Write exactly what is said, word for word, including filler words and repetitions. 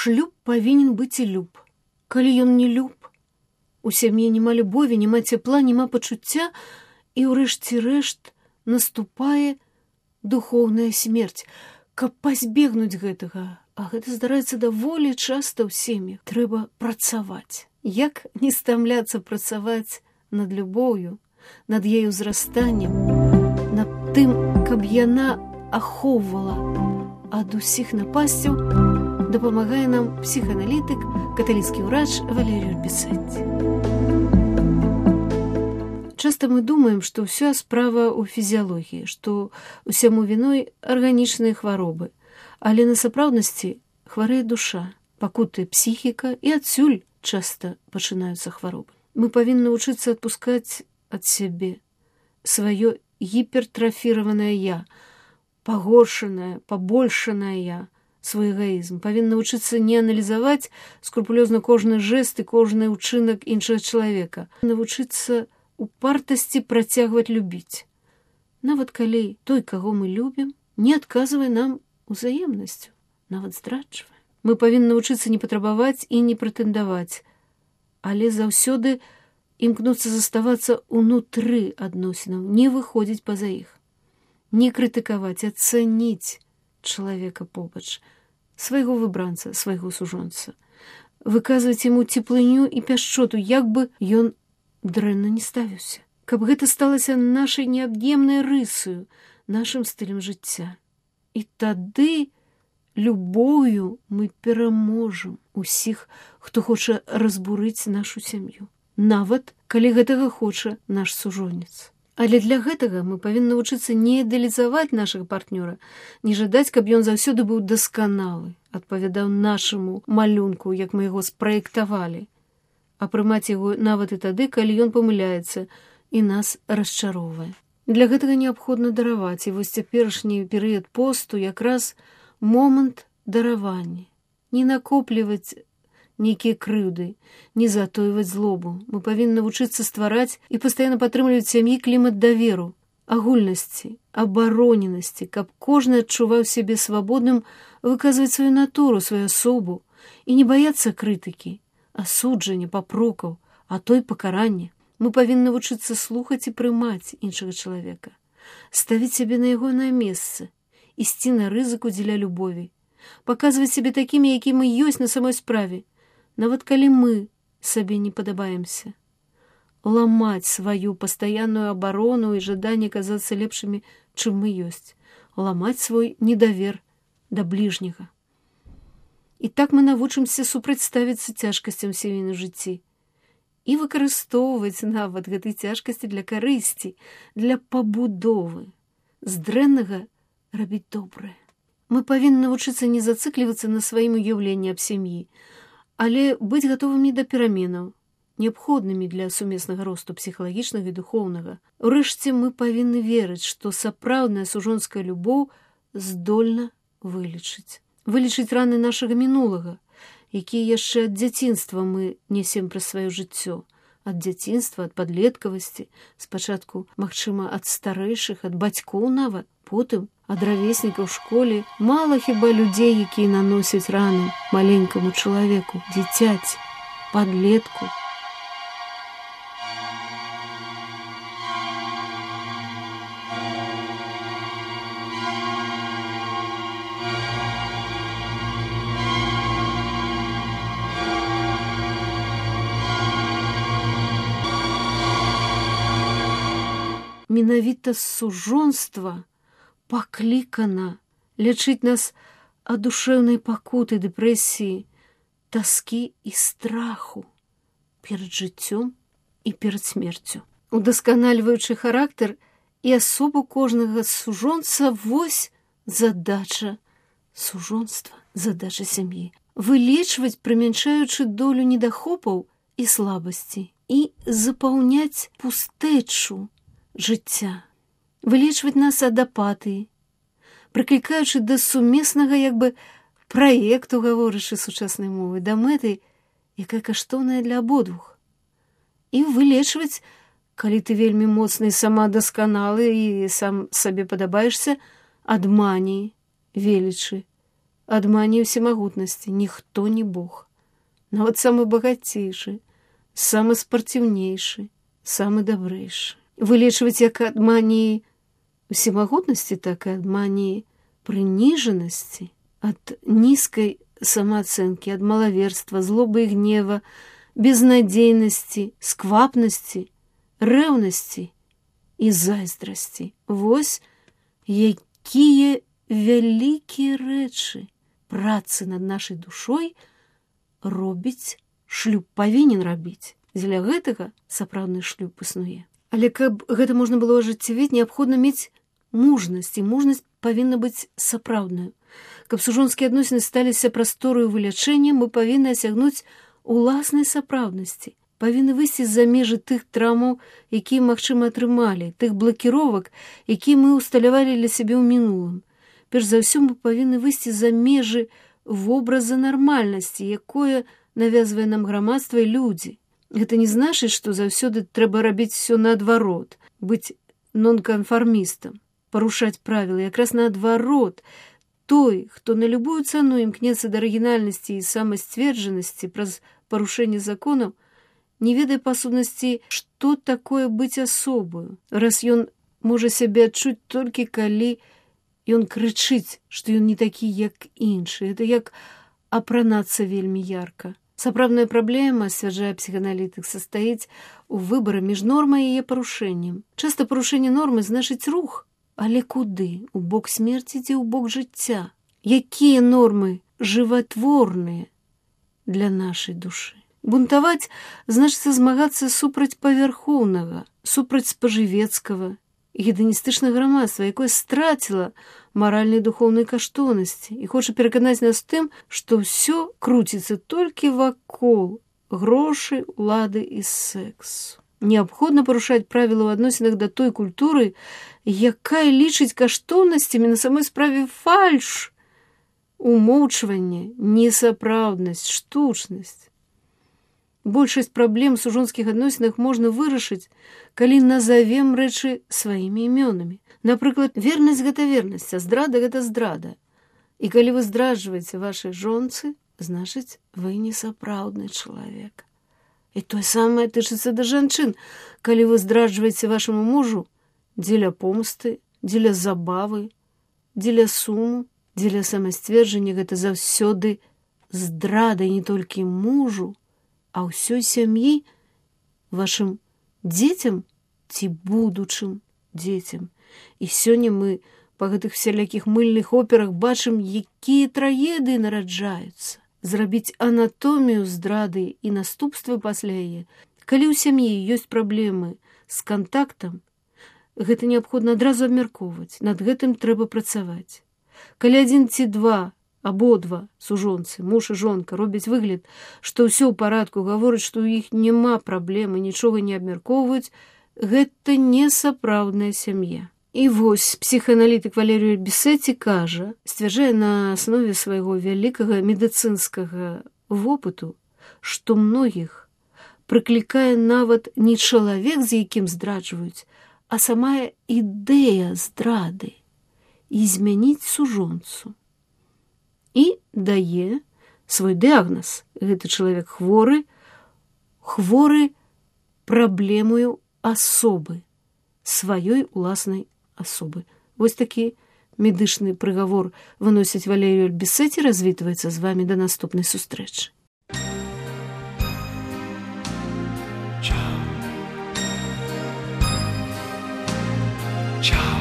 шлюб павінен быць і люб. Калі ён не люб, у сям'і няма любові, няма цяпла, няма пачуцця, і ўрэшце рэшт наступае духоўная смерць. Каб пазбегнуць гэтага, а гэта здараецца даволі часта ў сем'ях, трэба працаваць. Як не стамляцца працаваць над любоўю, над яе ўзрастаннем, над тым, каб яна ахоўвала ад усіх напасцяў, дапамагае нам псіхааналітык, каталіцкі ўрач Валерій Пісаць. Часта мы думаем, што ўся справа ў фізіялогіі, што ўсяму віной арганічныя хваробы, але на сапраўднасці хварэе душа, пакутае псіхіка, і адсюль часта пачынаюцца хваробы. Мы павінны вучыцца адпускаць ад сябе сваё гіпертрафіраванае я, пагоршанае, пабольшанае я, свой эгоізм. Павінны вучыцца не аналізаваць скрупулёзна кожны жэст і кожны ўчынак іншага чалавека. Навучыцца упартасці працягваць любіць. Нават калі той, каго мы любім, не адказвае нам узаемнасцю, нават здраджвае. Мы павінны навучыцца не патрабаваць і не прэтэндаваць, але заўсёды імкнуцца заставацца ўнутры адносінаў, не выходзіць па-за іх, не крытыкаваць, ацаніць чалавека побач, свайго выбранца, свайго сужонца, выказваць яму цеплыню і пяшчоту, як бы ён дрэнна не ставіўся, каб гэта сталася нашай неаб'емнай рысою, нашым стылем жыцця. І тады любоўю мы пераможам усіх, хто хоча разбурыць нашу сям'ю, нават калі гэтага хоча наш сужонец. Але для гэтага мы павінны навучыцца не ідэалізаваць нашага партнёра, не жадаць, каб ён заўсёды быў дасканалы, адпавядаў нашаму малюнку, як мы яго спраектавалі, а прымаць яго нават і тады, калі ён памыляецца і нас расчароўвае. Для гэтага неабходна дараваць, і вось цяперашні перыяд посту якраз момант даравання. Не накопліваць нейкія крыўды, не затойваць злобу. Мы павінны навучыцца ствараць і пастаянна падтрымліваць сям'і клімат даверу, агульнасці, абароненасці, каб кожны адчуваў сябе свабодным выказваць сваю натуру, сваю асобу і не баяцца крытыкі, асуджання, папрокаў, а то і пакарання. Мы павінны навучыцца слухаць і прымаць іншага чалавека, ставіць сябе на ягонае месца, ісці на рызыку дзеля любові, паказваць сябе такімі, якімі мы ёсць на самой справе, нават калі мы сабе не падабаемся. Ламаць сваю пастаянную абарону і жаданне казацца лепшымі, чым мы ёсць. Ламаць свой недавер да бліжняга. І так мы навучымся супрацьставіцца цяжкасцям сямейным жыцці і выкарыстоўваць нават гэтай цяжкасці для карысці, для пабудовы. З дрэннага рабіць добрае. Мы павінны навучыцца не зацыклівацца на сваім уяўленні аб сям'і, але быць гатовымі да пераменаў, неабходнымі для сумеснага росту псіхалагічнага і духоўнага. Урэшце мы павінны верыць, што сапраўдная сужонская любоў здольна вылечыць. Вылечыць раны нашага мінулага, якія яшчэ ад дзяцінства мы несем праз сваё жыццё. Ад дзяцінства, ад падлеткавасці, спачатку, магчыма, ад старэйшых, ад бацькоў нават, потым ад равеснікаў у школе. Мала хіба людзей, якія наносяць раны маленькаму чалавеку, дзіцяці, падлетку. Менавіта сужонства паклікана лячыць нас ад душэўнай пакуты, дэпрэсіі, таскі і страху перад жыццём і перад смерцю. Удасканальваючы характар і асобу кожнага сужонца, вось задача сужонства, задача сям'і. Вылечваць, прымяншаючы долю недахопаў і слабасці, і запаўняць пустэчу жыцця. Вылечваць нас ад апатыі, прыклікаючы да сумеснага як бы праекту, гаворачы сучаснай мовы, да мэты, якая каштоўная для абодвух. І вылечваць, калі ты вельмі моцны і сама дасканалы і сам сабе падабаешся, ад маніі, велічы, ад маніі ўсемагутнасці. Ніхто не Бог. Нават самы багацейшы, самы спартыўнейшы, самы дабрэйшы. Вылечваць як ад маніі усемагутнасці, так і ад маніі прыніжанасці, ад нізкай самаацэнкі, ад малаверства, злобы і гнева, безнадзейнасці, сквапнасці, рэўнасці і зайздрасці. Вось якія вялікія рэчы працы над нашай душой робіць шлюб, павінен рабіць. Дзеля гэтага сапраўдны шлюб існуе. Але каб гэта можна было ажыццявіць, неабходна мець мужнасць, і мужнасць павінна быць сапраўднаю. Каб сужонскія адносіны сталіся прастораю вылячэння, мы павінны асягнуць уласнай сапраўднасці, павінны выйсці з-за межы тых траўмаў, якія, магчыма, атрымалі, тых блакіровак, якія мы ўсталявалі для сябе ў мінулым. Перш за ўсё, мы павінны выйсці за межы вобраза нармальнасці, якое навязвае нам грамадства і людзі. Гэта не значыць, што заўсёды трэба рабіць усё наадварот, быць нонканфармістам, парушаць правілы. Якраз наадварот, той, хто на любую цану імкнецца да арыгінальнасці і самасцверджанасці праз парушэнне законаў, не ведае па сутнасці, што такое быць асобаю, раз ён можа сябе адчуць толькі калі ён крычыць, што ён не такі, як іншы. Гэта як апранацца вельмі ярка. Сапраўдная праблема, сцвярджае псіхааналітык, састаіць у выбары між нормай і яе парушэннем. Часта парушэнне нормы значыць рух, але куды? У бок смерці ці ў бок жыцця? Якія нормы жыватворныя для нашай душы? Бунтаваць значыцца змагацца супраць павярхоўнага, супраць спажывецкага, геданістычнага грамадства, якое страціла маральнай духоўнай каштоўнасці і хоча пераканаць нас тым, што ўсё круціцца толькі вакол грошай, улады і сэксу. Неабходна парушаць правілы ў адносінах да той культуры, якая лічыць каштоўнасцямі на самой справе фальш, умоўчванне, несапраўднасць, штучнасць. Большасць праблем у сужонскіх адносінах можна вырашыць, калі назавем рэчы сваімі імёнамі. Напрыклад, вернасць гэта вернасць, а здрада гэта здрада. І калі вы здраджваеце вашай жонцы, значыць, вы несапраўдны чалавек. І тое самае тычыцца да жанчын. Калі вы здраджваеце вашаму мужу дзеля помсты, дзеля забавы, дзеля суму, дзеля самасцверджання, гэта заўсёды здрада не толькі мужу, а ўсёй сям'і, вашым дзецям ці будучым дзецям. І сёння мы па гэтых всялякіх мыльных операх бачым, якія трагедыі нараджаюцца. Зрабіць анатомію здрады і наступствы пасля яе. Калі ў сям'і ёсць праблемы з кантактам, гэта неабходна адразу абмяркоўваць, над гэтым трэба працаваць. Калі адзін ці два, абодва сужонцы, муж і жонка, робяць выгляд, што ўсё ў парадку, гавораць, што ў іх няма праблемы, нічога не абмяркоўваюць, гэта не сапраўдная сям'я. І вось псіхааналітык Валерій Бесеці кажа, сцвярджае на аснове свайго вялікага медыцынскага вопыту, што многіх прыклікае нават не чалавек, з якім здраджваюць, а самая ідэя здрады і змяніць сужонцу. І дае свой дыягназ. Гэты чалавек хворы, хворы праблемою асобы, сваёй уласнай асобы. Вось такі медычны прыгавор выносіць Валерій Бесеці, развітваецца з вамі да наступнай сустрэчы. Ciao. Ciao.